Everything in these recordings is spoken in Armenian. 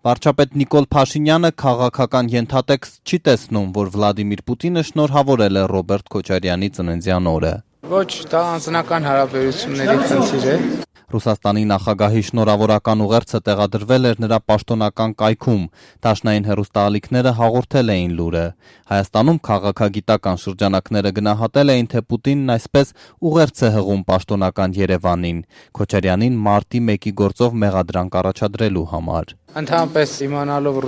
Վարչապետ Նիկոլ Փաշինյանը քաղաքական ենթատեքստ չի տեսնում, որ Վլադիմիր Պուտինը շնորհավորել է Ռոբերտ Քոչարյանի ծննդյան օրը։ Ոչ, դա անձնական հարաբերությունների խնդիր է։ Ռուսաստանի նախագահի շնորհավորական ուղերձը տեղադրվել էր նրա պաշտոնական կայքում, դաշնային հեռուստաալիքները հաղորդել էին լուրը։ Հայաստանում քաղաքագիտական շրջանակները գնահատել էին, թե Պուտինն այսպես ուղերձ է հղում պաշտոնական Երևանին, Քոչարյանին մարտի 1-ի գործով մեղադրանք առաջադրելու համար։ Ընդհանրապես իմանալով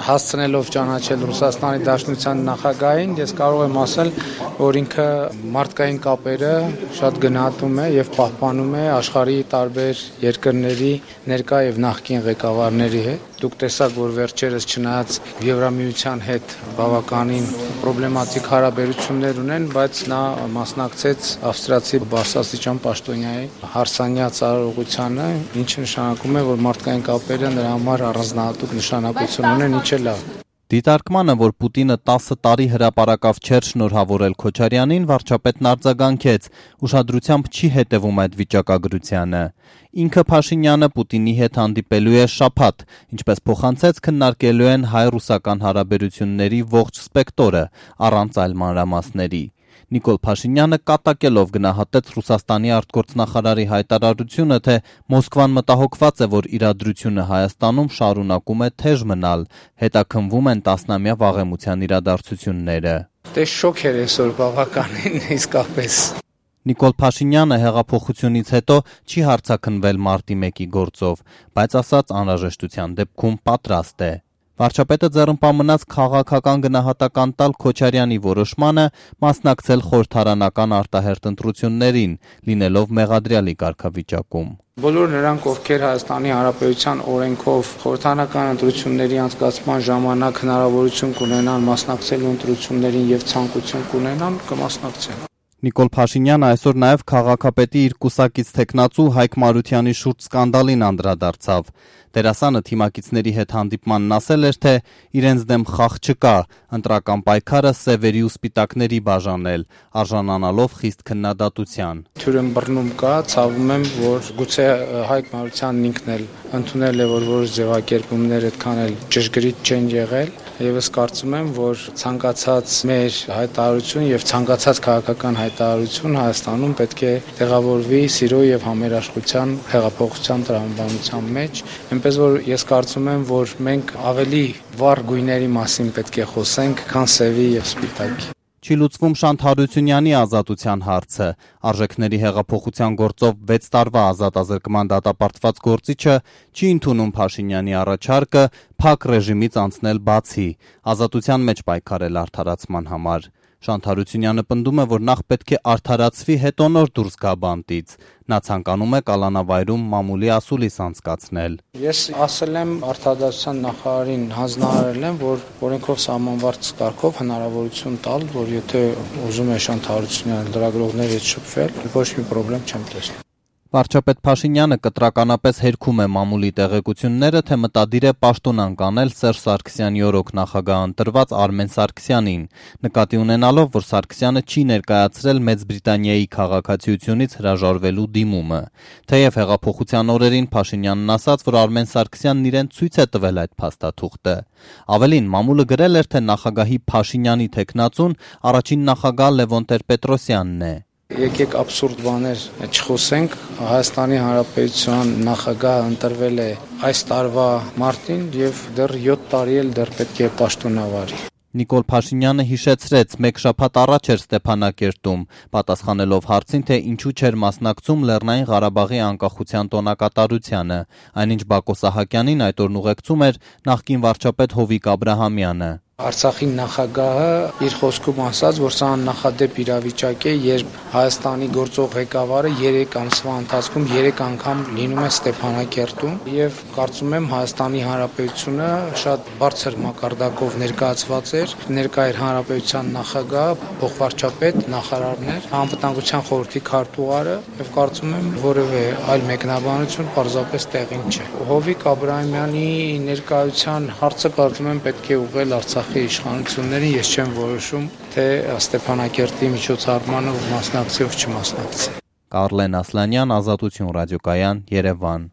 հասցնելով ճանաչել Ռուսաստանի Դաշնության նախագահին, ես կարող եմ ասել, որ ինքը մարդկային կապերը շատ գնահատում է եւ պահպանում է աշխարհի տարբեր երկրների ներկա եւ նախկին ղեկավարների հետ։ Դուք տեսաք, որ վերջերս չնայած Եվրամիության հետ բավականին պրոբլեմատիկ հարաբերություններ ունեն, բայց նա մասնակցեց ավստրիացի բարձրաստիճան պաշտոնյայի հարսանյաց արարողությանը, ինչը նշանակում է, որ մարդկային կապերը նրա համար առանձնահատուկ նշանակություն ունեն, ինչը լավ։ Դիտարկմանը, որ Պուտինը 10 տարի հրապարակավ չէր շնորհավորել Քոչարյանին, վարչապետն արձագանքեց, ուշադրությամբ չի հետևում այդ վիճակագրությանը։ Ինքը Փաշինյանը Պուտինի հետ հանդիպելու է շաբաթ, ինչպես փոխանցեց, քննարկելու են հայ-ռուսական հարաբերությունների ողջ սպեկտրը, առանց այլ մանրամասների։ Նիկոլ Փաշինյանը կատակելով գնահատեց Ռուսաստանի արտգործնախարարի հայտարարությունը, թե Մոսկվան մտահոգված է, որ իրադրությունը Հայաստանում շարունակում է թեժ մնալ, հետաքննվում են տասնամյա վաղեմության իրադարձությունները։ Դե շոկ էր այսօր բավականին իսկապես։ Նիկոլ Փաշինյանը հեղափոխությունից հետո չի հարձակնվել մարտի 1-ի գործով, բայց ասաց անհրաժեշտության դեպքում պատրաստ է։ Վարչապետը ձեռնպա մնաց քաղաքական գնահատական տալ Քոչարյանի որոշմանը մասնակցել խորհրդարանական արտահերթ ընտրություններին, լինելով մեղադրյալի կարգավիճակում։ Բոլոր նրանք, ովքեր Հայաստանի Հանրապետության օրենքով խորհրդարանական ընտրությունների անցկացման ժամանակ հնարավորություն կունենան մասնակցելու ընտրություններին եւ ցանկություն կունենան, կմասնակցեն։ Նիկոլ Փաշինյանը այսօր նաև քաղաքապետի իր կուսակից թեկնածու Հայկ Մարությանի շուրջ սկանդալին անդրադարձավ։ Դերասանը թիմակիցների հետ հանդիպմանն ասել էր, թե իրենց դեմ խաղ չկա, ընտրական պայքարը սևերի ու սպիտակների բաժանել, արժանանալով խիստ քննադատության։ Թյուրն բռնում կա, ցավում եմ, որ գուցե Հայկ Մարությանն ինքն էլ ընդունել է, որ որոշ ձևակերպումներ այդքան էլ ճշգրիտ չեն եղել, եւ ես կարծում եմ, որ ցանկացած մեր հայտարարություն եւ ցանկացած քաղաքական հայտարարություն Հայաստանում պետք է տեղավորվի սիրո եւ համերաշխության հեղափոխության տրամաբանության մեջ, այնպես որ ես կարծում եմ, որ մենք ավելի վառ գույների մասին պետք է խոսենք, քան սևի եւ սպիտակի։ Չի լուծվում Շանթ Հարությունյանի ազատության հարցը։ Արժեքների հեղափոխության գործով 6 տարվա ազատ ազրկման դատապարտված գործիչը չի ընդունում Փաշինյանի առաջարկը փակ ռեժիմից անցնել բացի, ազատության մեջ պայքարել արդարացման համար։ Շանթ Հարությունյանը պնդում է, որ նախ պետք է արդարացվի, հետո նոր դուրս գա բանտից։ Նա ցանկանում է կալանավայրում մամուլի ասուլիս անցկացնել։ Ես ասել եմ արդարացության նախարարին, հանձնարարել եմ, որ օրենքով սահմանված կարգով հնարավորություն տալ, որ եթե ուզում է Շանթ Հարությունյանը լրագրողների հետ շփվել, ոչ մի խնդրեմ չեմ տեսնում։ Վարչապետ Փաշինյանը կտրականապես հերքում է մամուլի տեղեկությունները, թե մտադիր է պաշտոնանկ անել Սերժ Սարգսյանի օրոք նախագահ ընտրված Արմեն Սարգսյանին, նկատի ունենալով, որ Սարգսյանը չի ներկայացրել Մեծ Բրիտանիայի քաղաքացիությունից հրաժարվելու դիմումը։ Թեև հեղափոխության օրերին Փաշինյանն ասաց, որ Արմեն Սարգսյանն իրեն ցույց է տվել այդ փաստաթուղթը։ Ավելին, մամուլը գրել էր, թե նախագահի Փաշինյանի թեկնածուն առաջին նախագահ Լևոն Տեր-Պետրոսյանն է։ Եկեք абսուրդ բաներ չխոսենք, Հայաստանի Հանրապետության նախագահը ընտրվել է այս տարվա մարտին եւ դեռ 7 տարի էլ դեռ պետք է պաշտոնավարի։ Նիկոլ Փաշինյանը հիշեցրեց, մեկ շաբաթ առաջ էր Ստեփանակերտում, պատասխանելով հարցին, թե ինչու չէր մասնակցում Լեռնային Ղարաբաղի անկախության տոնակատարությանը, այնինչ Բակո Սահակյանին այդ օրն ուղեկցում էր նախկին վարչապետ Հովիկ Աբրահամյանը։ Արցախի նախագահը իր խոսքում ասաց, որ սա աննախադեպ իրավիճակ է, երբ Հայաստանի գործող ղեկավարը 3 ամսվա ընթացքում 3 անգամ լինում է Ստեփանակերտում եւ կարծում եմ Հայաստանի Հանրապետությունը շատ բարձր մակարդակով ներկայացված էր, ներկա էր Հանրապետության նախագահ, փոխվարչապետ, նախարարներ, անվտանգության խորհրդի քարտուղարը եւ կարծում եմ որևէ այլ մեկնաբանություն պարզապես տեղին չէ։ Հովիկ Աբրահամյանի ներկայության հարցը կարծում եմ պետք է ուղղել Արցախի իշխանություններին, ես չեմ որոշում, թե Ստեփանակերտի միջոցառմանը մասնակցի ով չմասնակցի։ Կարլեն Ասլանյան, Ազատություն ռադիոկայան, Երևան։